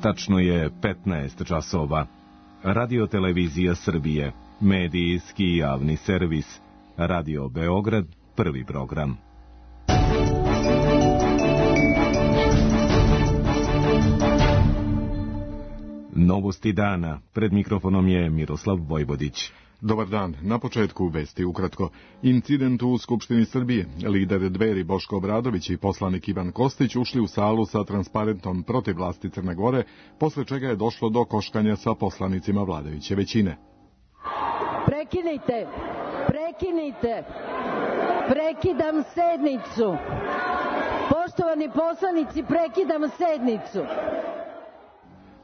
Tačno je 15 časova. Radio Televizija Srbije, medijski javni servis, Radio Beograd, prvi program. Novosti dana. Pred mikrofonom je Miroslav Vojvodić. Dobar dan. Na početku vesti ukratko. Incident u Skupštini Srbije. Lider Dveri Boško Obradović i poslanik Ivan Kostić ušli u salu sa transparentom protiv vlasti Crne Gore, posle čega je došlo do koškanja sa poslanicima vladajuće većine. Prekinite! Prekidam sednicu! Poštovani poslanici, prekidam sednicu!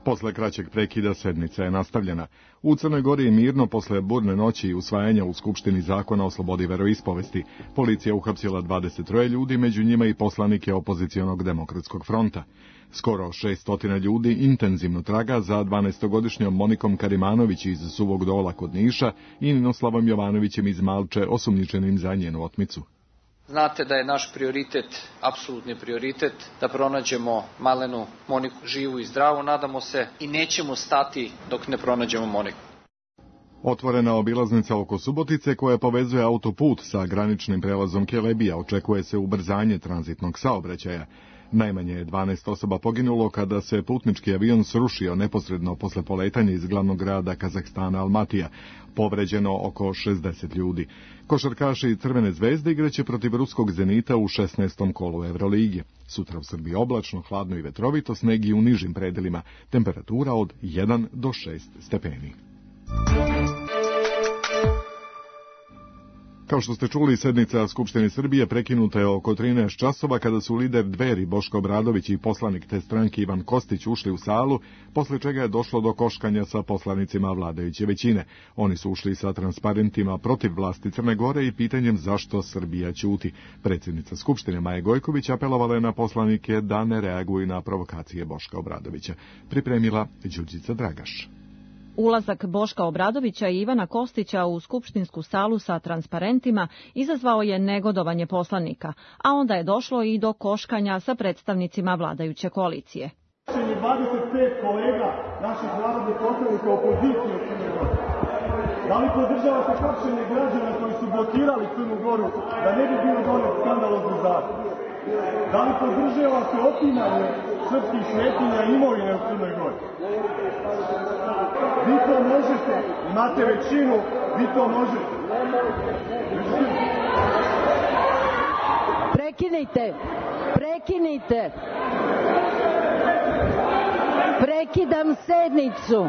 Posle kraćeg prekida sednica je nastavljena. U Crnoj Gori je mirno posle burne noći i usvajanja u Skupštini zakona o slobodi veroispovesti. Policija uhapsila 23 ljudi, među njima i poslanike opozicionog demokratskog fronta. Skoro 600 ljudi intenzivno traga za 12-godišnjom Monikom Karimanović iz Suvog Dola kod Niša i Ninoslavom Jovanovićem iz Malče, osumnjičenim za njenu otmicu. Znate da je naš prioritet, apsolutni prioritet, da pronađemo malenu Moniku živu i zdravu, nadamo se, i nećemo stati dok ne pronađemo Moniku. Otvorena obilaznica oko Subotice koja povezuje autoput sa graničnim prelazom Kelebija, očekuje se ubrzanje tranzitnog saobraćaja. Najmanje je 12 osoba poginulo kada se putnički avion srušio neposredno posle poletanja iz glavnog grada Kazahstana Almatija. Povređeno oko 60 ljudi. Košarkaši Crvene zvezde igraće protiv ruskog Zenita u 16. kolu Evrolige. Sutra u Srbiji oblačno, hladno i vetrovito, sneg i u nižim predelima. Temperatura od 1 do 6 stepeni. Kao što ste čuli, sednica Skupštine Srbije prekinuta je oko 13 časova kada su lider Dveri Boško Obradović i poslanik te stranke Ivan Kostić ušli u salu, posle čega je došlo do koškanja sa poslanicima vladajuće većine. Oni su ušli sa transparentima protiv vlasti Crne Gore i pitanjem zašto Srbija ćuti. Predsjednica Skupštine Maja Gojković apelovala je na poslanike da ne reaguju na provokacije Boška Obradovića. Pripremila Đurđica Dragaš. Ulazak Boška Obradovića i Ivana Kostića u skupštinsku salu sa transparentima izazvao je negodovanje poslanika, a onda je došlo i do koškanja sa predstavnicima vladajuće koalicije. 25 kolega naših narodnih poslanika opozicije u Crnoj Gori. Da li podržavate hapšenje građana koji su blokirali Crnu Goru da ne bi bilo donet skandalozni zakon? Da li podržavate otimanje srpskih svetinja i imovine u Crnoj Gori? Vi to možete, imate većinu, vi to možete. Prekinite! Prekidam sednicu!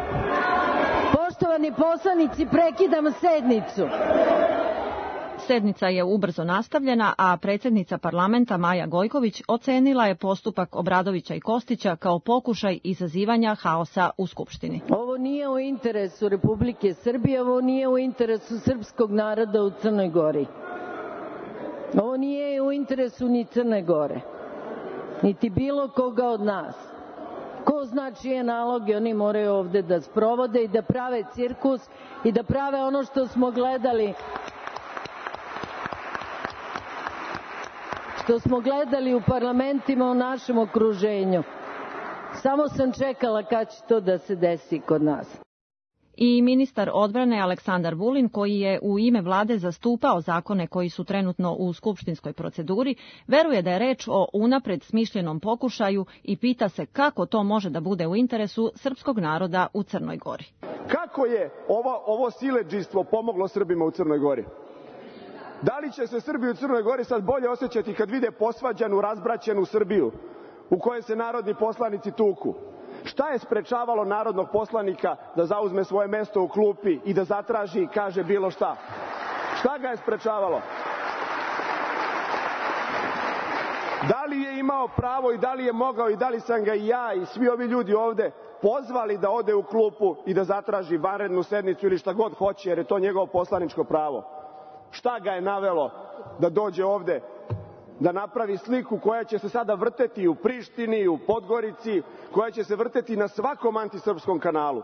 Poštovani poslanici, prekidam sednicu! Sednica je ubrzo nastavljena, a predsjednica parlamenta Maja Gojković ocenila je postupak Obradovića i Kostića kao pokušaj izazivanja haosa u Skupštini. Ovo nije u interesu Republike Srbije, ovo nije u interesu srpskog naroda u Crnoj Gori. Ovo nije u interesu ni Crne Gore, niti bilo koga od nas. Ko zna čije naloge oni moraju ovde da sprovode i da prave cirkus i da prave ono što smo gledali u parlamentima u našem okruženju. Samo sam čekala kad će to da se desi kod nas. I ministar odbrane Aleksandar Vulin, koji je u ime vlade zastupao zakone koji su trenutno u skupštinskoj proceduri, veruje da je reč o unapred smišljenom pokušaju i pita se kako to može da bude u interesu srpskog naroda u Crnoj Gori. Kako je ovo siledžijstvo pomoglo Srbima u Crnoj Gori? Da li će se Srbi u Crnoj Gori sad bolje osjećati kad vide posvađanu, razbraćenu Srbiju u kojoj se narodni poslanici tuku? Šta je sprečavalo narodnog poslanika da zauzme svoje mesto u klupi i da zatraži i kaže bilo šta? Šta ga je sprečavalo? Da li je imao pravo i da li je mogao i da li sam ga i ja i svi ovi ljudi ovde pozvali da ode u klupu i da zatraži vanrednu sednicu ili šta god hoće, jer je to njegovo poslaničko pravo? Šta ga je navelo da dođe ovde, da napravi sliku koja će se sada vrteti u Prištini, u Podgorici, koja će se vrteti na svakom antisrpskom kanalu?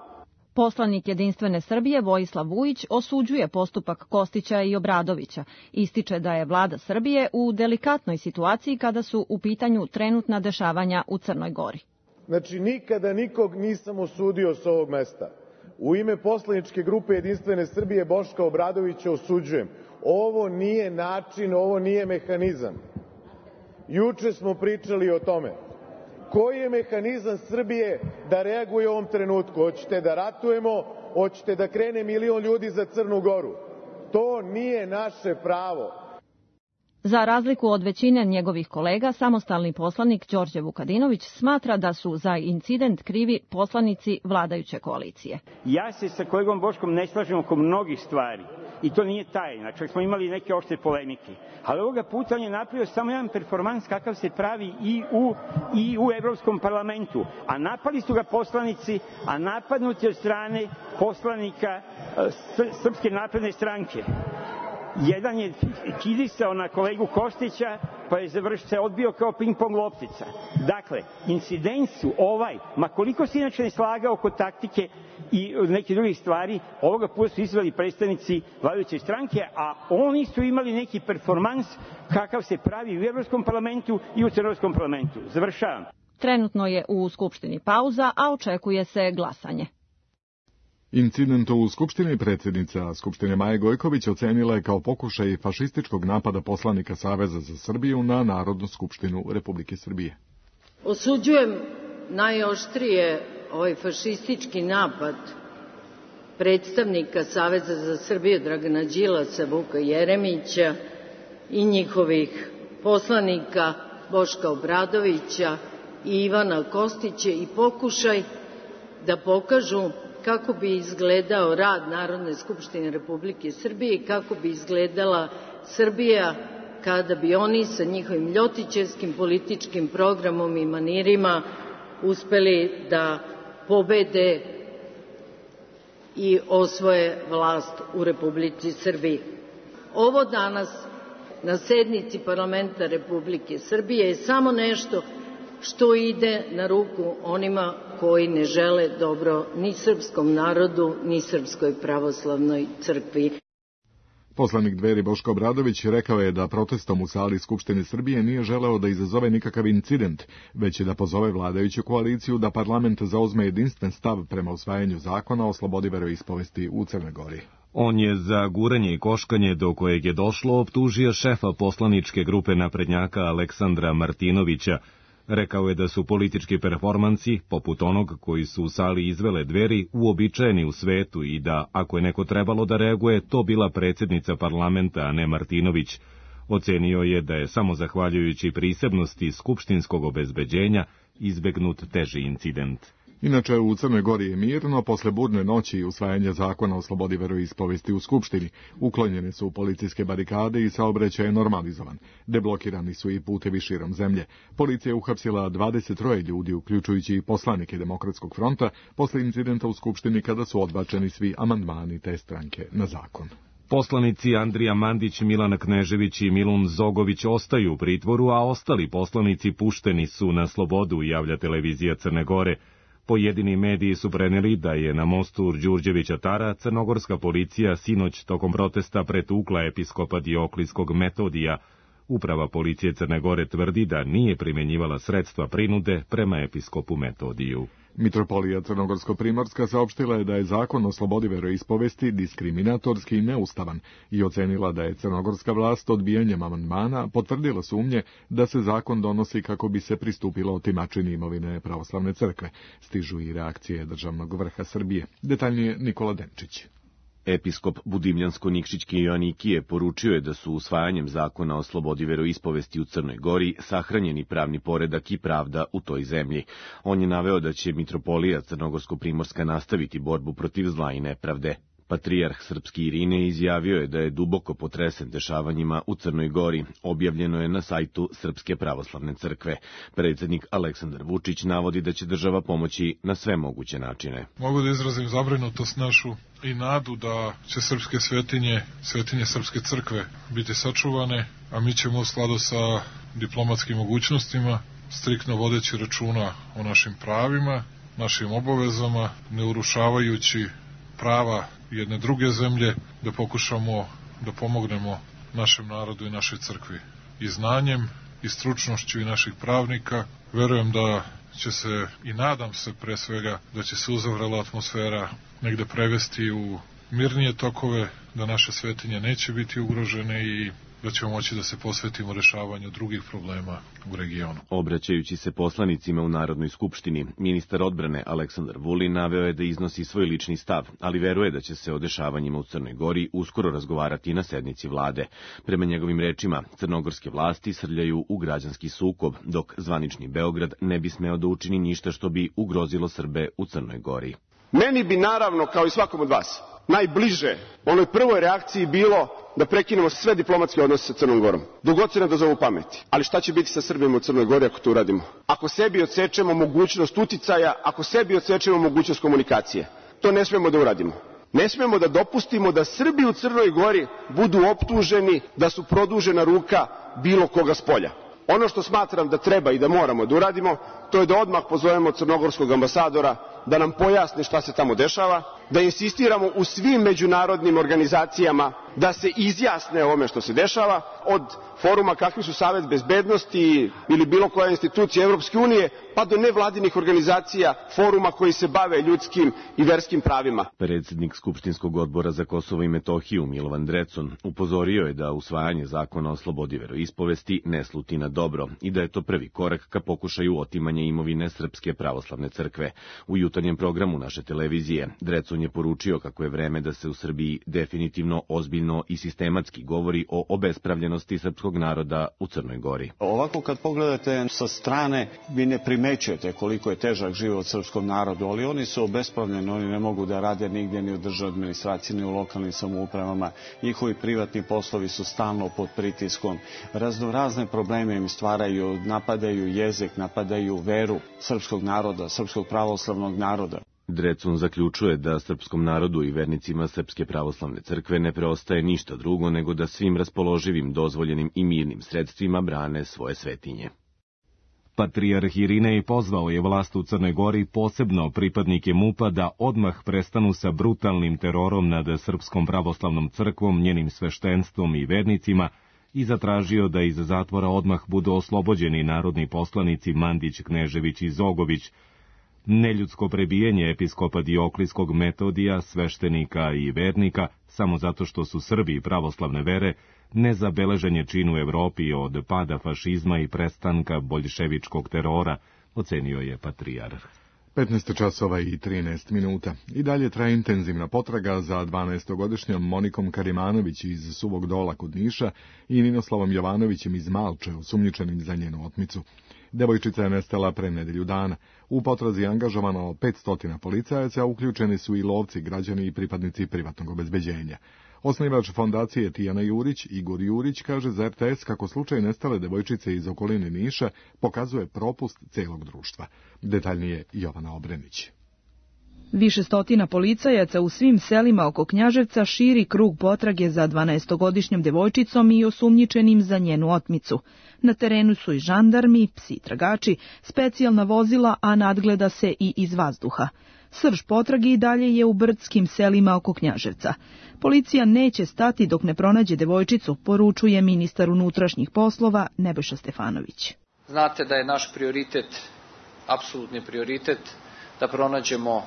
Poslanik Jedinstvene Srbije Vojislav Vujić osuđuje postupak Kostića i Obradovića. Ističe da je vlada Srbije u delikatnoj situaciji kada su u pitanju trenutna dešavanja u Crnoj Gori. Znači, nikada nikog nisam osudio s ovog mesta. U ime poslaničke grupe Jedinstvene Srbije Boška Obradovića osuđujem. Ovo nije način, ovo nije mehanizam. Juče smo pričali o tome. Koji je mehanizam Srbije da reaguje u ovom trenutku? Hoćete da ratujemo? Hoćete da krene 1 milion ljudi za Crnu Goru? To nije naše pravo. Za razliku od većine njegovih kolega, samostalni poslanik Đorđe Vukadinović smatra da su za incident krivi poslanici vladajuće koalicije. Ja se sa kolegom Boškom ne slažem oko mnogih stvari i to nije tajna, čak smo imali neke oštre polemike. Ali ovoga puta on je napravio samo jedan performans kakav se pravi i u Evropskom parlamentu. A napali su ga poslanici, a napadnuti od strane poslanika Srpske napredne stranke. Jedan je kidisao na kolegu Kostića, pa je se odbio kao ping-pong loptica. Dakle, incident su ma koliko se inače ne slagao oko taktike i neke drugih stvari, ovoga puta su izveli predstavnici vladajuće stranke, a oni su imali neki performans kakav se pravi u Evropskom parlamentu i u Crnogorskom parlamentu. Završavam. Trenutno je u Skupštini pauza, a očekuje se glasanje. Incident u Skupštini predsjednica Skupštine Maja Gojković ocenila je kao pokušaj fašističkog napada poslanika Saveza za Srbiju na Narodnu skupštinu Republike Srbije. Osuđujem najoštrije ovaj fašistički napad predstavnika Saveza za Srbiju Dragana Đilasa, Vuka Jeremića i njihovih poslanika Boška Obradovića i Ivana Kostića i pokušaj da pokažu kako bi izgledao rad Narodne skupštine Republike Srbije i kako bi izgledala Srbija kada bi oni sa njihovim ljotićevskim političkim programom i manirima uspeli da pobede i osvoje vlast u Republici Srbiji. Ovo danas na sednici parlamenta Republike Srbije je samo nešto što ide na ruku onima koji ne žele dobro ni srpskom narodu, ni Srpskoj pravoslavnoj crkvi. Poslanik Dveri Boško Obradović rekao je da protestom u sali Skupštine Srbije nije želeo da izazove nikakav incident, već da pozove vladajuću koaliciju da parlament zauzme jedinstven stav prema usvajanju zakona o slobodi veroispovesti u Crnoj Gori. On je za guranje i koškanje do kojeg je došlo optužio šefa poslaničke grupe naprednjaka Aleksandra Martinovića. Rekao je da su politički performansi, poput onog koji su u sali izvele Dveri, uobičajeni u svetu i da, ako je neko trebalo da reaguje, to bila predsjednica parlamenta, a ne Martinović. Ocenio je da je samo zahvaljujući prisebnosti skupštinskog obezbeđenja izbegnut teži incident. Inače, u Crnoj Gori je mirno, posle burne noći i usvajanja zakona o slobodi veroispovesti u Skupštini. Uklonjene su policijske barikade i saobraćaj je normalizovan. Deblokirani su i putevi širom zemlje. Policija je uhapsila 23 ljudi, uključujući i poslanike Demokratskog fronta, posle incidenta u Skupštini kada su odbačeni svi amandmani te stranke na zakon. Poslanici Andrija Mandić, Milan Knežević i Milun Zogović ostaju u pritvoru, a ostali poslanici pušteni su na slobodu, javlja televizija Crne Gore. Pojedini mediji su preneli da je na mostu Đurđevića Tara crnogorska policija sinoć tokom protesta pretukla episkopa Dioklijskog Metodija. Uprava policije Crne Gore tvrdi da nije primjenjivala sredstva prinude prema episkopu Metodiju. Mitropolija Crnogorsko-Primorska saopštila je da je zakon o slobodi veroispovesti diskriminatorski i neustavan i ocenila da je crnogorska vlast odbijanjem amandmana potvrdila sumnje da se zakon donosi kako bi se pristupilo otimačini imovine pravoslavne crkve. Stižu i reakcije državnog vrha Srbije. Detaljnije Nikola Denčić. Episkop Budimljansko-Nikšićki Joanikije poručio je da su usvajanjem zakona o slobodi veroispovesti u Crnoj Gori sahranjeni pravni poredak i pravda u toj zemlji. On je naveo da će mitropolija Crnogorsko-Primorska nastaviti borbu protiv zla i nepravde. Patrijarh srpski Irine izjavio je da je duboko potresen dešavanjima u Crnoj Gori. Objavljeno je na sajtu Srpske pravoslavne crkve. Predsjednik Aleksandar Vučić navodi da će država pomoći na sve moguće načine. Mogu da izrazim zabrinutost našu i nadu da će srpske svetinje Srpske crkve biti sačuvane, a mi ćemo u skladu sa diplomatskim mogućnostima, striktno vodeći računa o našim pravima, našim obavezama, ne urušavajući prava jedne druge zemlje, da pokušamo da pomognemo našem narodu i našoj crkvi i znanjem i stručnošću i naših pravnika. Verujem da će se, i nadam se pre svega, da će se uzavrela atmosfera negde prevesti u mirnije tokove, da naše svetinje neće biti ugrožene i da ćemo moći da se posvetimo rešavanju drugih problema u regionu. Obraćajući se poslanicima u Narodnoj skupštini, ministar odbrane Aleksandar Vulin naveo je da iznosi svoj lični stav, ali veruje da će se o dešavanjima u Crnoj Gori uskoro razgovarati na sednici vlade. Prema njegovim rečima, crnogorske vlasti srljaju u građanski sukob, dok zvanični Beograd ne bi smeo da učini ništa što bi ugrozilo Srbe u Crnoj Gori. Meni bi naravno, kao i svakom od vas, najbliže onoj prvoj reakciji bilo da prekinemo sve diplomatske odnose sa Crnom Gorom, dok god se ne dozovu pameti. Ali šta će biti sa Srbima u Crnoj Gori ako to uradimo? Ako sebi odsečemo mogućnost uticaja, ako sebi odsečemo mogućnost komunikacije, to ne smemo da uradimo. Ne smemo da dopustimo da Srbi u Crnoj Gori budu optuženi da su produžena ruka bilo koga spolja. Ono što smatram da treba i da moramo da uradimo, to je da odmah pozovemo crnogorskog ambasadora da nam pojasni šta se tamo dešava, da insistiramo u svim međunarodnim organizacijama da se izjasne o ome što se dešava, od foruma kakvi su Savet bezbednosti ili bilo koja institucija Evropske unije, pa do nevladinih organizacija, foruma koji se bave ljudskim i verskim pravima. Predsjednik Skupštinskog odbora za Kosovo i Metohiju Milovan Drecun upozorio je da usvajanje zakona o slobodi veroispovesti ne sluti na dobro i da je to prvi korak ka pokušaju otimanja imovine Srpske pravoslavne crkve. U jutarnjem programu naše televizije Drecun je poručio kako je vreme da se u Srbiji definitivno, ozbiljno i sistematski govori o obespravljenosti srpskog naroda u Crnoj Gori. Ovako kad pogledate sa strane, vi ne primećujete koliko je težak život srpskom narodu, ali oni su obespravljeni, oni ne mogu da rade nigdje ni u državnoj administraciji, ni u lokalnim samoupravama, njihovi privatni poslovi su stalno pod pritiskom, razne probleme im stvaraju, napadaju jezik, napadaju veru srpskog naroda, srpskog pravoslavnog naroda. Drecun zaključuje da srpskom narodu i vernicima Srpske pravoslavne crkve ne preostaje ništa drugo nego da svim raspoloživim, dozvoljenim i mirnim sredstvima brane svoje svetinje. Patrijarh Irinej pozvao je vlast u Crnoj Gori, posebno pripadnike MUP-a, da odmah prestanu sa brutalnim terorom nad Srpskom pravoslavnom crkvom, njenim sveštenstvom i vernicima i zatražio da iz zatvora odmah budu oslobođeni narodni poslanici Mandić, Knežević i Zogović. Neljudsko prebijanje episkopa Dioklijskog Metodija, sveštenika i vernika, samo zato što su Srbi pravoslavne vere, nezabeležen je čin u Evropi od pada fašizma i prestanka boljševičkog terora, ocenio je patrijarh. 15 časova i 13 minuta. I dalje traje intenzivna potraga za 12-godišnjom Monikom Karimanović iz Suvog Dola kod Niša i Ninoslavom Jovanovićem iz Malče, osumnjičenim za njenu otmicu. Devojčica je nestala pre nedelju dana. U potrazi je angažovano 500 policajaca, uključeni su i lovci, građani i pripadnici privatnog obezbeđenja. Osnivač fondacije Tijana Jurić, Igor Jurić, kaže za RTS kako slučaj nestale devojčice iz okoline Niša pokazuje propust celog društva. Detaljnije Jovana Obrenić. Više stotina policajaca u svim selima oko Knjaževca širi krug potrage za 12-godišnjom devojčicom i osumnjičenim za njenu otmicu. Na terenu su i žandarmi, psi tragači, specijalna vozila, a nadgleda se i iz vazduha. Srž potrage i dalje je u brdskim selima oko Knjaževca. Policija neće stati dok ne pronađe devojčicu, poručuje ministar unutrašnjih poslova Nebojša Stefanović. Znate da je naš prioritet, apsolutni prioritet, da pronađemo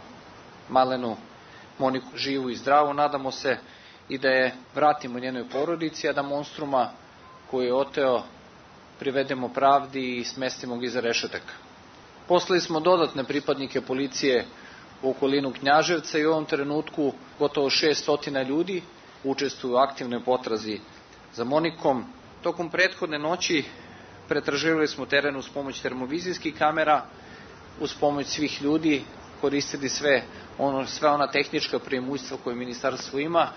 malenu Moniku živu i zdravu. Nadamo se i da je vratimo njenoj porodici, a da monstruma koji je oteo privedemo pravdi i smestimo ga iza rešetaka. Poslali smo dodatne pripadnike policije u okolinu Knjaževca i u ovom trenutku gotovo 600 ljudi učestvuju u aktivnoj potrazi za Monikom. Tokom prethodne noći pretraživali smo teren uz pomoć termovizijskih kamera, uz pomoć svih ljudi, koristili sve ona tehnička preimущstva koje ministarstvo ima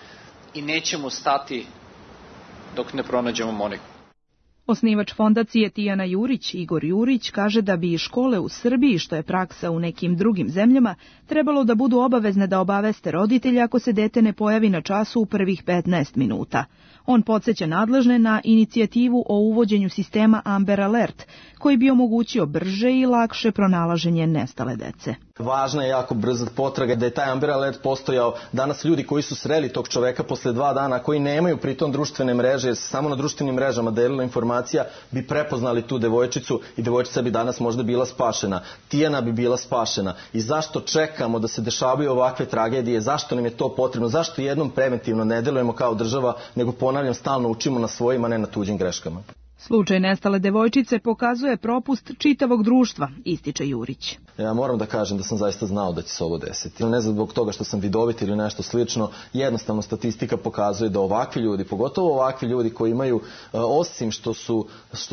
i nećemo stati dok ne pronađemo Moniku. Osnivač fondacije Tijana Jurić, Igor Jurić, kaže da bi škole u Srbiji, što je praksa u nekim drugim zemljama, trebalo da budu obavezne da obaveste roditelja ako se dete ne pojavi na času u prvih 15 minuta. On podsjeća nadležne na inicijativu o uvođenju sistema Amber Alert, koji bi omogućio brže i lakše pronalaženje nestale dece. Važna je jako brza potraga, da je taj Amber Alert postojao. Danas ljudi koji su sreli tog čoveka posle 2 dana, koji nemaju pritom društvene mreže, jer se samo na društvenim mrežama delila informacija, bi prepoznali tu devojčicu i devojčica bi danas možda bila spašena. Tijana bi bila spašena. I zašto čekamo da se dešavaju ovakve tragedije? Zašto nam je to potrebno? Zašto jednom preventivno ne delujemo kao država, nego ponavljam, stalno učimo na svojim, a ne na tuđim greškama? Slučaj nestale devojčice pokazuje propust čitavog društva, ističe Jurić. Ja moram da kažem da sam zaista znao da će se ovo desiti. Ne znam zbog toga što sam vidovit ili nešto slično, jednostavno statistika pokazuje da ovakvi ljudi, pogotovo ovakvi ljudi koji imaju, osim što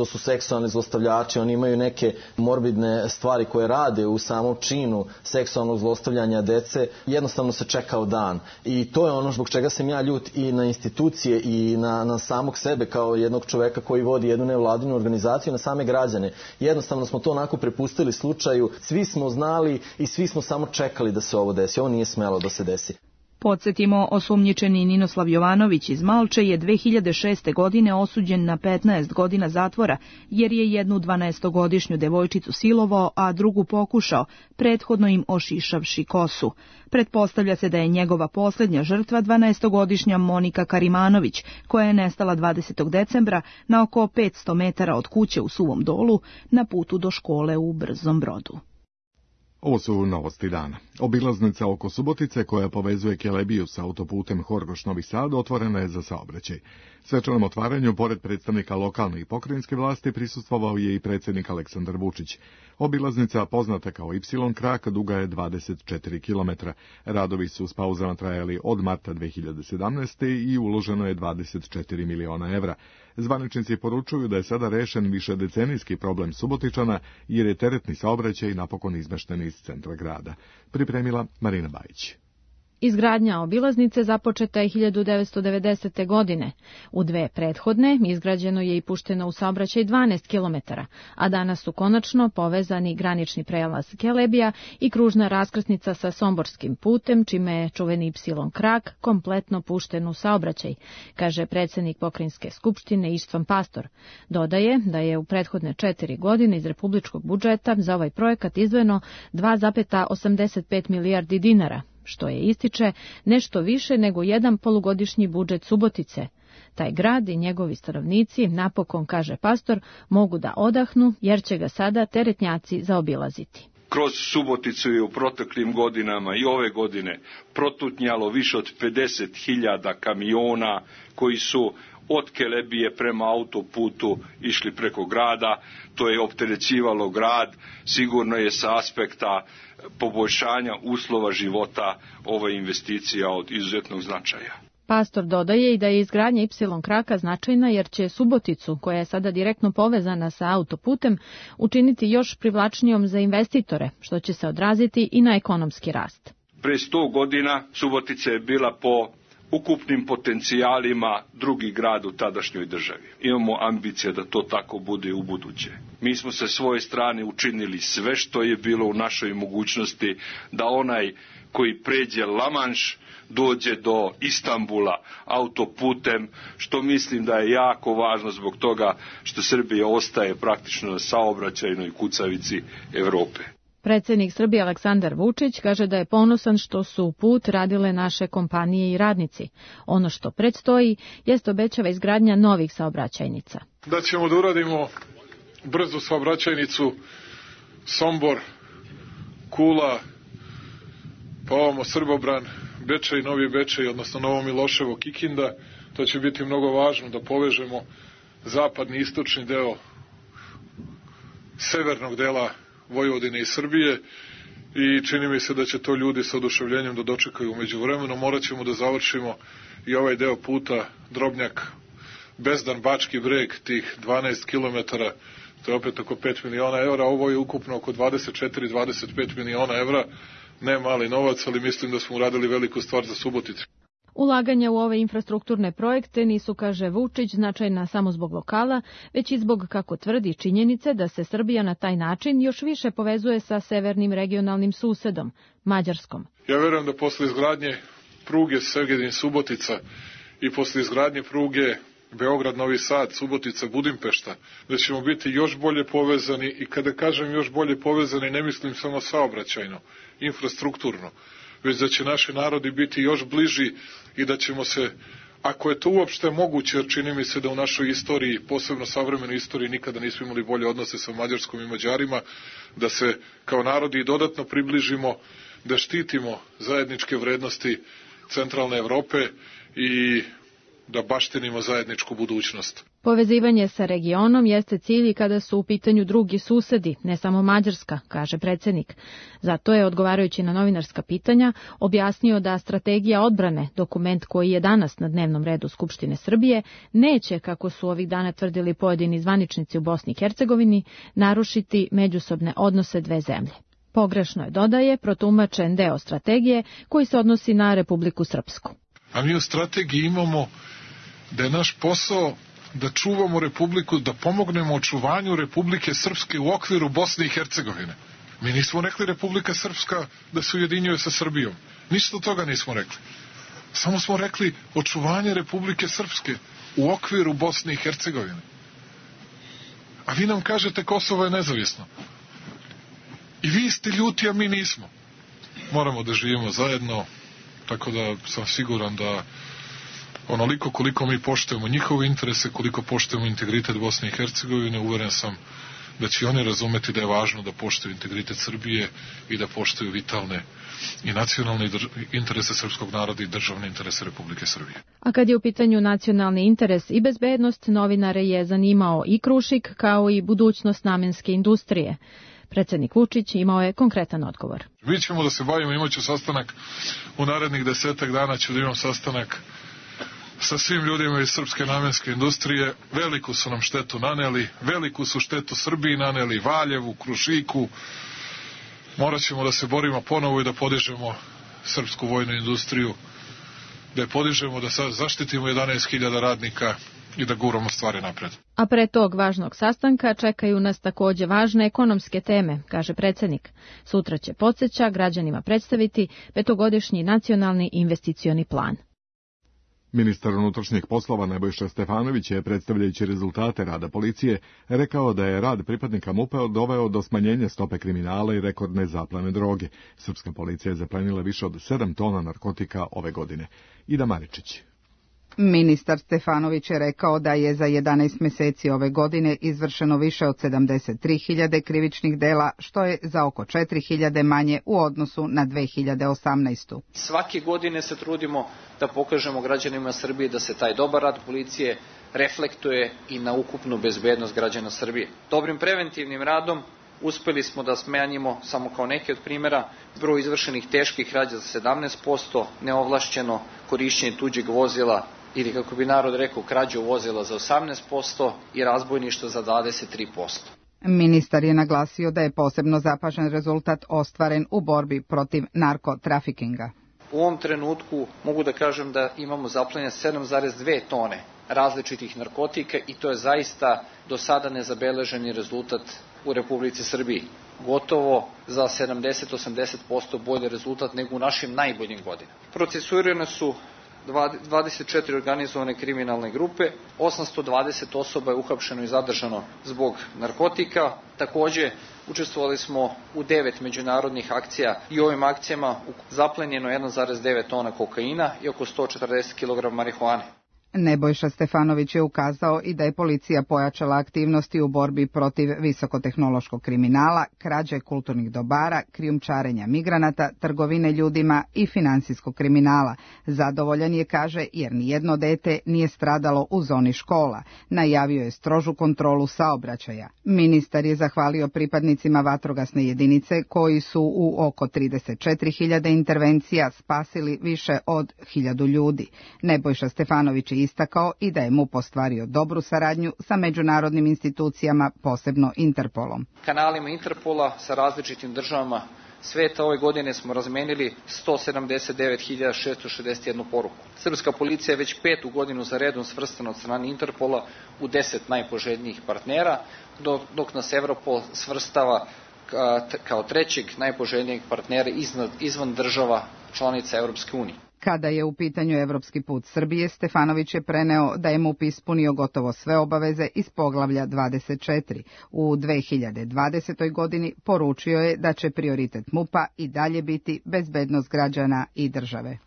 su seksualni zlostavljači, oni imaju neke morbidne stvari koje rade u samom činu seksualnog zlostavljanja dece, jednostavno se čekao dan. I to je ono zbog čega sam ja ljut i na institucije i na samog sebe kao jednog čoveka koji vodi jednu nevladinu organizaciju, na same građane. Jednostavno smo to onako prepustili slučaju, svi smo znali i svi smo samo čekali da se ovo desi. Ovo nije smelo da se desi. Podsjetimo, osumnjičeni Ninoslav Jovanović iz Malče je 2006. godine osuđen na 15 godina zatvora, jer je jednu 12-godišnju devojčicu silovao, a drugu pokušao, prethodno im ošišavši kosu. Pretpostavlja se da je njegova posljednja žrtva 12-godišnja Monika Karimanović, koja je nestala 20. decembra na oko 500 metara od kuće u Suvom Dolu na putu do škole u Brzom Brodu. Ovo su novosti dana. Obilaznica oko Subotice koja povezuje Kelebiju sa autoputem Horgoš-Novi Sad otvorena je za saobraćaj. Svečanom otvaranju, pored predstavnika lokalne i pokrajinske vlasti, prisustvovao je i predsjednik Aleksandar Vučić. Obilaznica, poznata kao Y krak, duga je 24 km. Radovi su s pauzama trajali od marta 2017. i uloženo je 24 miliona evra. Zvaničnici poručuju da je sada rešen višedecenijski problem Subotičana, jer je teretni saobraćaj napokon izmešten iz centra grada. Pripremila Marina Bajić. Izgradnja obilaznice započeta je 1990. godine. U 2 prethodne izgrađeno je i pušteno u saobraćaj 12 km, a danas su konačno povezani granični prelaz Kelebija i kružna raskrsnica sa Somborskim putem, čime je čuveni Y krak kompletno pušten u saobraćaj, kaže predsjednik Pokrajinske skupštine Ištvan Pastor. Dodaje da je u prethodne 4 godine iz republičkog budžeta za ovaj projekat izdvojeno 2,85 milijardi dinara, što je, ističe, nešto više nego jedan polugodišnji budžet Subotice. Taj grad i njegovi stanovnici, napokon, kaže Pastor, mogu da odahnu, jer će ga sada teretnjaci zaobilaziti. Kroz Suboticu je u proteklim godinama i ove godine protutnjalo više od 50.000 kamiona koji su od Kelebije prema autoputu išli preko grada. To je opterećivalo grad, sigurno je sa aspekta poboljšanja uslova života ova investicija od izuzetnog značaja. Pastor dodaje i da je izgradnja Y kraka značajna jer će Suboticu, koja je sada direktno povezana sa autoputem, učiniti još privlačnijom za investitore, što će se odraziti i na ekonomski rast. Pre 100 godina Subotica je bila po ukupnim potencijalima drugi grad u tadašnjoj državi. Imamo ambicije da to tako bude u buduće. Mi smo sa svoje strane učinili sve što je bilo u našoj mogućnosti da onaj koji pređe La Manche dođe do Istanbula autoputem, što mislim da je jako važno zbog toga što Srbija ostaje praktično na saobraćajnoj kucavici Evrope. Predsjednik Srbije Aleksandar Vučić kaže da je ponosan što su put radile naše kompanije i radnici. Ono što predstoji jest, obećava, izgradnja novih saobraćajnica. Da ćemo da uradimo brzu saobraćajnicu Sombor, Kula, pa ovamo Srbobran, Bečej, Novi Bečej, odnosno Novo Miloševo, Kikinda. To će biti mnogo važno da povežemo zapadni i istočni deo severnog dela Vojvodine i Srbije i čini mi se da će to ljudi sa oduševljenjem da dočekaju. Umeđu vremenu morat ćemo da završimo i ovaj deo puta Drobnjak, Bezdan, Bački Breg, tih 12 km, to je opet oko 5 miliona evra, ovo je ukupno oko 24-25 miliona evra, ne mali novac, ali mislim da smo uradili veliku stvar za Suboticu. Ulaganja u ove infrastrukturne projekte nisu, kaže Vučić, značajna samo zbog lokala, već i zbog, kako tvrdi, činjenice da se Srbija na taj način još više povezuje sa severnim regionalnim susedom, Mađarskom. Ja verujem da posle izgradnje pruge Segedin-Subotica i posle izgradnje pruge Beograd, Novi Sad, Subotica, Budimpešta, da ćemo biti još bolje povezani i kada kažem još bolje povezani ne mislim samo saobraćajno, infrastrukturno, već da će naši narodi biti još bliži i da ćemo se, ako je to uopšte moguće, jer čini mi se da u našoj istoriji, posebno savremenoj istoriji, nikada nismo imali bolje odnose sa Mađarskom i Mađarima, da se kao narodi dodatno približimo, da štitimo zajedničke vrednosti centralne Evrope i da baštinimo zajedničku budućnost. Povezivanje sa regionom jeste cilj kada su u pitanju drugi susedi, ne samo Mađarska, kaže predsjednik. Zato je, odgovarajući na novinarska pitanja, objasnio da strategija odbrane, dokument koji je danas na dnevnom redu Skupštine Srbije, neće, kako su ovih dana tvrdili pojedini zvaničnici u Bosni i Hercegovini, narušiti međusobne odnose dve zemlje. Pogrešno je, dodaje, protumačen deo strategije koji se odnosi na Republiku Srpsku. A mi u strategiji imamo da je naš posao da čuvamo Republiku, da pomognemo očuvanju Republike Srpske u okviru Bosne i Hercegovine. Mi nismo rekli Republika Srpska da se ujedinjuje sa Srbijom. Ništa od toga nismo rekli. Samo smo rekli očuvanje Republike Srpske u okviru Bosne i Hercegovine. A vi nam kažete Kosovo je nezavisno. I vi ste ljuti, a mi nismo. Moramo da živimo zajedno, tako da sam siguran da onoliko koliko mi poštujemo njihove interese, koliko poštujemo integritet Bosne i Hercegovine, uveren sam da će oni razumeti da je važno da poštuju integritet Srbije i da poštuju vitalne i nacionalne interese srpskog naroda i državne interese Republike Srbije. A kad je u pitanju nacionalni interes i bezbednost, novinare je zanimao i Krušik kao i budućnost namenske industrije. Predsjednik Vučić imao je konkretan odgovor. Mi ćemo da se bavimo, imaću sastanak u narednih 10 dana, ću da imam sastanak sa svim ljudima iz srpske namenske industrije. Veliku su nam štetu naneli, veliku su štetu Srbiji naneli, Valjevu, Krušiku. Morat ćemo da se borimo ponovo i da podižemo srpsku vojnu industriju, da je podižemo, da zaštitimo 11.000 radnika i da guramo stvari napred. A pre tog važnog sastanka čekaju nas takođe važne ekonomske teme, kaže predsjednik. Sutra će, podsjeća, građanima predstaviti 5-godišnji nacionalni investicioni plan. Ministar unutrašnjih poslova Nebojša Stefanović je, predstavljajući rezultate rada policije, rekao da je rad pripadnika MUP-a doveo do smanjenja stope kriminala i rekordne zaplene droge. Srpska policija je zaplenila više od 7 tona narkotika ove godine. Ida Maričić. Ministar Stefanović je rekao da je za 11 meseci ove godine izvršeno više od 73.000 krivičnih dela, što je za oko 4.000 manje u odnosu na 2018. Svake godine se trudimo da pokažemo građanima Srbije da se taj dobar rad policije reflektuje i na ukupnu bezbednost građana Srbije. Dobrim preventivnim radom uspeli smo da smanjimo, samo kao neki od primjera, broj izvršenih teških krađa za 17%, neovlašćeno korišćenje tuđeg vozila ili, kako bi narod rekao, krađu vozila za 18% i razbojništvo za 23%. Ministar je naglasio da je posebno zapažen rezultat ostvaren u borbi protiv narkotrafikinga. U ovom trenutku mogu da kažem da imamo zaplenjene 7,2 tone različitih narkotika i to je zaista do sada nezabeleženi rezultat u Republici Srbiji. Gotovo za 70-80% bolji rezultat nego u našim najboljim godinama. Procesuirane su 24 organizovane kriminalne grupe, 820 osoba je uhapšeno i zadržano zbog narkotika. Takođe, učestvovali smo u 9 međunarodnih akcija i u ovim akcijama zaplenjeno 1,9 tona kokaina i oko 140 kg marihuane. Nebojša Stefanović je ukazao i da je policija pojačala aktivnosti u borbi protiv visokotehnološkog kriminala, krađe kulturnih dobara, krijumčarenja migranata, trgovine ljudima i finansijskog kriminala. Zadovoljan je, kaže, jer nijedno dete nije stradalo u zoni škola. Najavio je strožu kontrolu saobraćaja. Ministar je zahvalio pripadnicima vatrogasne jedinice koji su u oko 34.000 intervencija spasili više od 1.000 ljudi. Nebojša Stefanović je istakao i da je MUP ostvario dobru saradnju sa međunarodnim institucijama, posebno Interpolom. Kanalima Interpola sa različitim državama sveta ove godine smo razmenili 179.661 poruku. Srpska policija je već 5. godinu za redom svrstana od strane Interpola u 10 najpoželjnijih partnera, dok nas Evropol svrstava kao trećeg najpoželjnijeg partnera izvan država članica Evropske unije. Kada je u pitanju evropski put Srbije, Stefanović je preneo da je MUP ispunio gotovo sve obaveze iz poglavlja 24. U 2020. godini poručio je da će prioritet MUP-a i dalje biti bezbednost građana i države.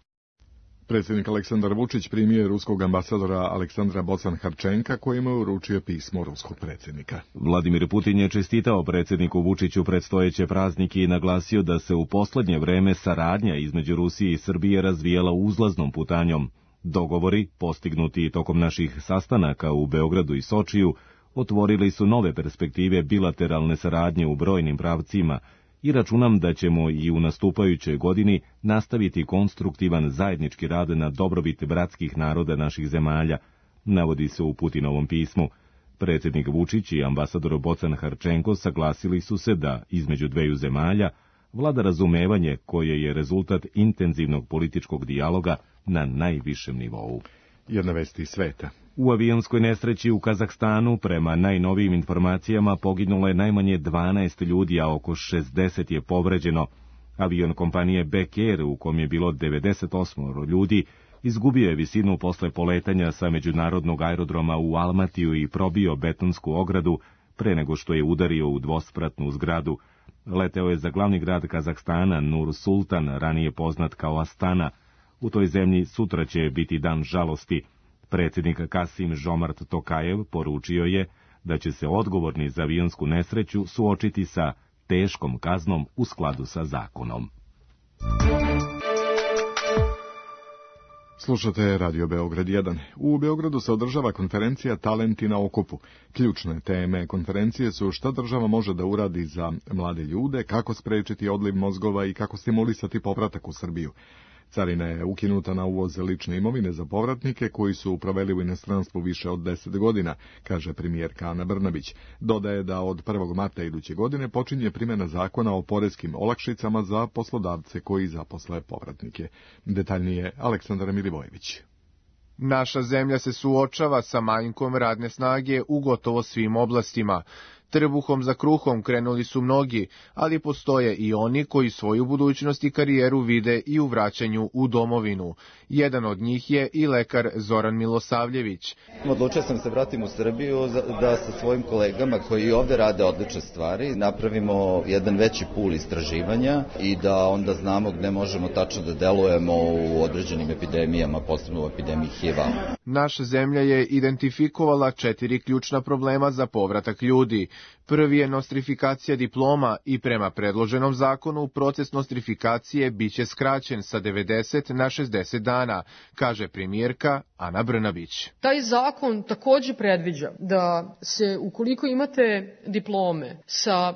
Predsjednik Aleksandar Vučić primio je ruskog ambasadora Aleksandra Bocan-Harčenka, kojima je uručio pismo ruskog predsjednika. Vladimir Putin je čestitao predsjedniku Vučiću predstojeće praznike i naglasio da se u posljednje vreme saradnja između Rusije i Srbije razvijala uzlaznom putanjom. Dogovori, postignuti tokom naših sastanaka u Beogradu i Sočiju, otvorili su nove perspektive bilateralne saradnje u brojnim pravcima, i računam da ćemo i u nastupajućoj godini nastaviti konstruktivan zajednički rad na dobrobit bratskih naroda naših zemalja, navodi se u Putinovom pismu. Predsjednik Vučić i ambasador Bocan-Harčenko saglasili su se da, između dveju zemalja, vlada razumevanje koje je rezultat intenzivnog političkog dijaloga na najvišem nivou. Jedna vest iz sveta. U avionskoj nesreći u Kazahstanu, prema najnovijim informacijama, poginulo je najmanje 12 ljudi, a oko 60 je povređeno. Avion kompanije Back Air, u kom je bilo 98 ljudi, izgubio je visinu posle poletanja sa međunarodnog aerodroma u Almatiju i probio betonsku ogradu pre nego što je udario u dvospratnu zgradu. Leteo je za glavni grad Kazahstana, Nur Sultan, ranije poznat kao Astana. U toj zemlji sutra će biti dan žalosti. Predsjednik Kasim Žomart Tokajev poručio je da će se odgovorni za avionsku nesreću suočiti sa teškom kaznom u skladu sa zakonom. Slušate Radio Beograd 1. U Beogradu se održava konferencija Talenti na okupu. Ključne teme konferencije su šta država može da uradi za mlade ljude, kako sprečiti odliv mozgova i kako stimulisati povratak u Srbiju. Carina je ukinuta na uvoz lične imovine za povratnike koji su proveli u inostranstvu više od 10 godina, kaže premijerka Ana Brnabić. Dodaje da od 1. marta iduće godine počinje primjena zakona o poreskim olakšicama za poslodavce koji zaposle povratnike. Detaljnije Aleksandar Milivojević. Naša zemlja se suočava sa manjkom radne snage u gotovo svim oblastima. Trbuhom za kruhom krenuli su mnogi, ali postoje i oni koji svoju budućnost i karijeru vide i u vraćanju u domovinu. Jedan od njih je i lekar Zoran Milosavljević. Odlučio sam se vratim u Srbiju da sa svojim kolegama koji ovde rade odlične stvari napravimo jedan veći pul istraživanja i da onda znamo gde možemo tačno da delujemo u određenim epidemijama, posebno u epidemiji HIV-a. Naša zemlja je identifikovala 4 ključna problema za povratak ljudi. Prvi je nostrifikacija diploma i prema predloženom zakonu proces nostrifikacije biće skraćen sa 90 na 60 dana, kaže premijerka Ana Brnabić. Taj zakon takođe predviđa da se ukoliko imate diplome sa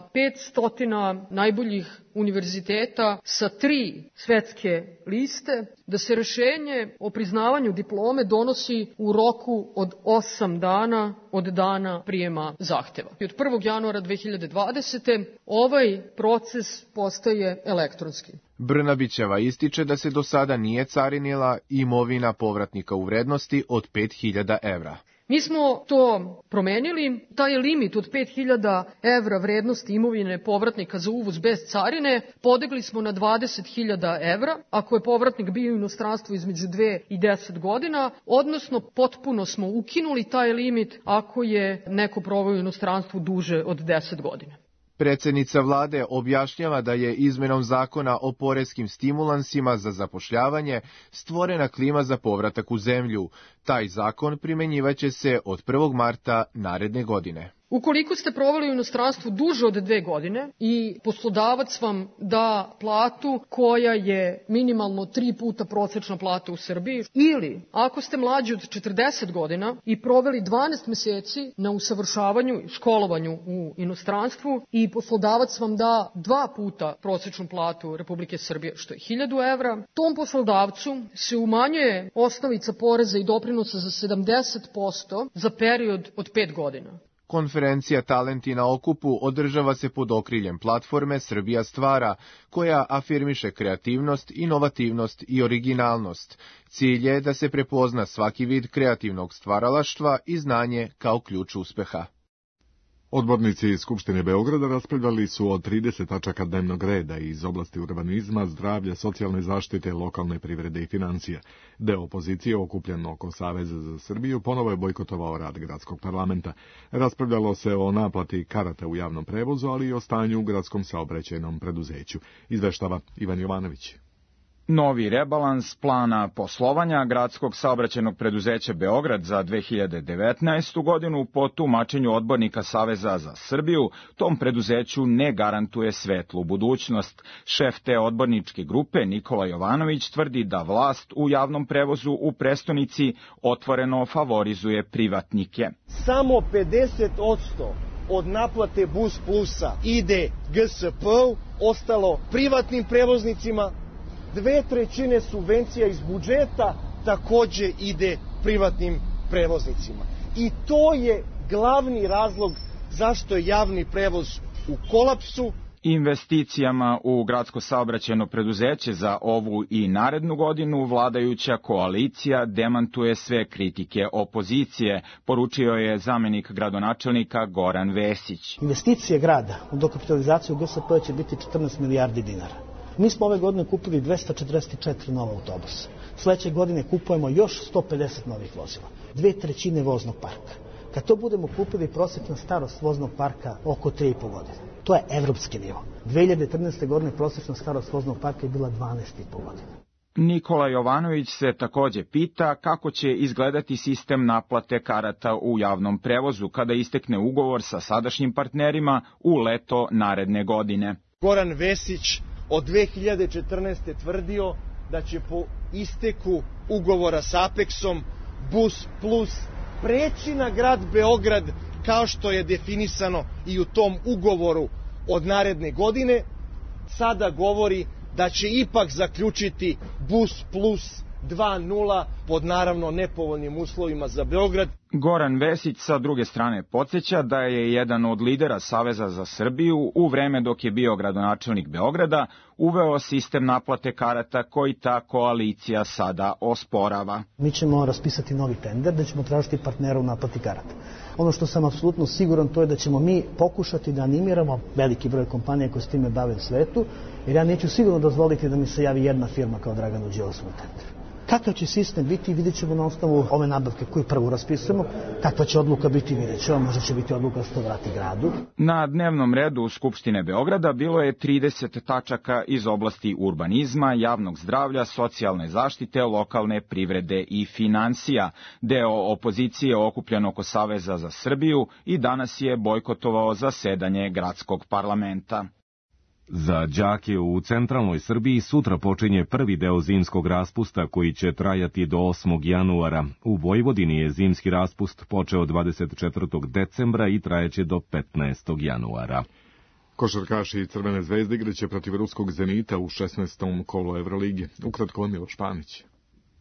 500 najboljih univerziteta sa 3 svetske liste, da se rešenje o priznavanju diplome donosi u roku od 8 dana od dana prijema zahteva. I od 1. januara 2020. ovaj proces postaje elektronski. Brnabićeva ističe da se do sada nije carinila imovina povratnika u vrednosti od 5.000 evra. Mi smo to promenili, taj limit od 5.000 evra vrednosti imovine povratnika za uvoz bez carine podigli smo na 20.000 evra, ako je povratnik bio u inostranstvu između 2 i 10 godina, odnosno potpuno smo ukinuli taj limit ako je neko proveo u inostranstvu duže od 10 godina. Predsjednica vlade objašnjava da je izmenom zakona o poreskim stimulansima za zapošljavanje stvorena klima za povratak u zemlju. Taj zakon primenjivaće se od 1. marta naredne godine. Ukoliko ste proveli u inostranstvu duže od 2 godine i poslodavac vam da platu koja je minimalno 3 puta prosečna plata u Srbiji, ili ako ste mlađi od 40 godina i proveli 12 meseci na usavršavanju i školovanju u inostranstvu i poslodavac vam da 2 puta prosečnu platu Republike Srbije, što je 1.000 evra, tom poslodavcu se umanjuje osnovica poreza i doprinosa za 70% za period od 5 godina. Konferencija Talenti na okupu održava se pod okriljem platforme Srbija stvara, koja afirmiše kreativnost, inovativnost i originalnost. Cilj je da se prepozna svaki vid kreativnog stvaralaštva i znanje kao ključ uspeha. Odbornici iz Skupštine Beograda raspravljali su o 30 tačaka dnevnog reda iz oblasti urbanizma, zdravlja, socijalne zaštite, lokalne privrede i financija. Deo opozicije, okupljen oko Saveza za Srbiju, ponovo je bojkotovao rad gradskog parlamenta. Raspravljalo se o naplati karata u javnom prevozu, ali i o stanju u gradskom saobraćajnom preduzeću. Izveštava Ivan Jovanović. Novi rebalans plana poslovanja gradskog saobraćajnog preduzeća Beograd za 2019. godinu po tumačenju odbornika Saveza za Srbiju tom preduzeću ne garantuje svetlu budućnost. Šef te odborničke grupe Nikola Jovanović tvrdi da vlast u javnom prevozu u prestonici otvoreno favorizuje privatnike. Samo 50% od naplate Bus Plusa ide GSP-u, ostalo privatnim prevoznicima. 2/3 subvencija iz budžeta takođe ide privatnim prevoznicima. I to je glavni razlog zašto je javni prevoz u kolapsu. Investicijama u gradsko saobraćajno preduzeće za ovu i narednu godinu vladajuća koalicija demantuje sve kritike opozicije, poručio je zamenik gradonačelnika Goran Vesić. Investicije grada u dokapitalizaciju GSP će biti 14 milijardi dinara. Mi smo ove godine kupili 244 nova autobusa. Sledeće godine kupujemo još 150 novih vozila. 2/3 voznog parka. Kad to budemo kupili, prosječna starost voznog parka oko 3,5 godine. To je evropski nivo. 2013. godine prosječna starost voznog parka je bila 12,5 godina. Nikola Jovanović se takođe pita kako će izgledati sistem naplate karata u javnom prevozu kada istekne ugovor sa sadašnjim partnerima u leto naredne godine. Goran Vesić od 2014. tvrdio da će po isteku ugovora sa Apexom Bus Plus preći na grad Beograd kao što je definisano i u tom ugovoru od naredne godine. Sada govori da će ipak zaključiti Bus Plus 2.0 pod naravno nepovoljnim uslovima za Beograd. Goran Vesić sa druge strane podsjeća da je jedan od lidera Saveza za Srbiju u vreme dok je bio gradonačelnik Beograda uveo sistem naplate karata koji ta koalicija sada osporava. Mi ćemo raspisati novi tender da ćemo tražiti partnera u naplati karata. Ono što sam apsolutno siguran to je da ćemo mi pokušati da animiramo veliki broj kompanija koje s time bave u svetu, jer ja neću sigurno dozvoliti da mi se javi jedna firma kao Draganu Đilasu na tenderu. Kakav će sistem biti, vidjet ćemo na osnovu ove nabavke koju prvo raspisujemo, kakva će odluka biti, vidjet ćemo, možda će biti odluka što vrati gradu. Na dnevnom redu Skupštine Beograda bilo je 30 tačaka iz oblasti urbanizma, javnog zdravlja, socijalne zaštite, lokalne privrede i financija. Deo opozicije okupljen oko Saveza za Srbiju i danas je bojkotovao zasedanje gradskog parlamenta. Za đake u centralnoj Srbiji sutra počinje prvi deo zimskog raspusta koji će trajati do 8. januara. U Vojvodini je zimski raspust počeo 24. decembra i trajeće do 15. januara. Košarkaši Crvene zvezde igraće protiv ruskog Zenita u 16. kolu Evrolige. Ukratko Miloš Panić.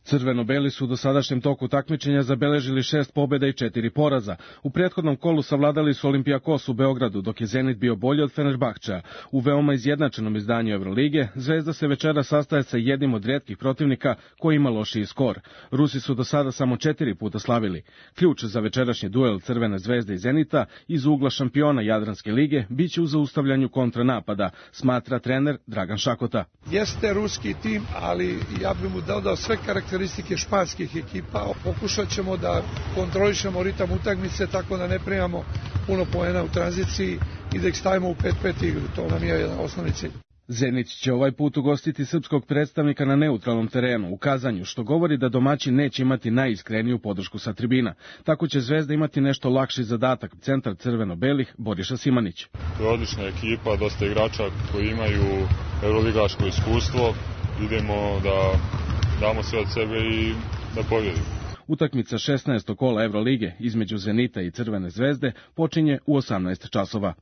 Crveno-beli su u dosadašnjem toku takmičenja zabeležili 6 pobjeda i 4 poraza. U prethodnom kolu savladali su Olimpijakos u Beogradu, dok je Zenit bio bolji od Fenerbahčeja. U veoma izjednačenom izdanju Evrolige, Zvezda se večera sastaje sa jednim od rijetkih protivnika koji ima lošiji skor. Rusi su do sada samo 4 puta slavili. Ključ za večerašnji duel Crvene zvezde i Zenita iz ugla šampiona Jadranske lige biće u zaustavljanju kontranapada, smatra trener Dragan Šakota. Jeste ruski tim, ali ja bih mu dodao sve karakteristike španskih ekipa. Pokušat ćemo da kontrolišemo ritam utakmice tako da ne primamo puno poena u tranziciji i da ih stavimo u 5-5 igru. To nam je jedan osnovni cilj. Zenit će ovaj put ugostiti srpskog predstavnika na neutralnom terenu u Kazanju, što govori da domaći neće imati najiskreniju podršku sa tribina. Tako će Zvezda imati nešto lakši zadatak, centar crveno-belih Boriša Simanić. To je odlična ekipa, dosta igrača koji imaju euroligaško iskustvo. Idemo da damo sve od sebe i da pobjedimo. Utakmica 16. kola Evrolige između Zenita i Crvene zvezde počinje u 18 časova.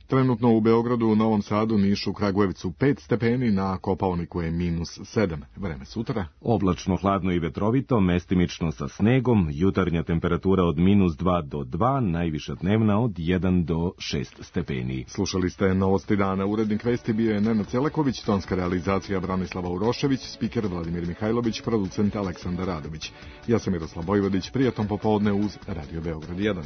Trenutno u Beogradu, u Novom Sadu, Nišu, Kragujevcu 5 stepeni, na Kopaoniku je -7. Vreme sutra. Oblačno, hladno i vetrovito, mestimično sa snegom, jutarnja temperatura od -2 do 2, najviša dnevna od 1 do 6 stepeni. Slušali ste Novosti dana. Urednik vesti bio je Nenad Celaković, tonska realizacija Branislava Urošević, spiker Vladimir Mihajlović, producent Aleksandar Radović. Ja sam Miroslav Bojvodić, prijatno popodne uz Radio Beograd 1.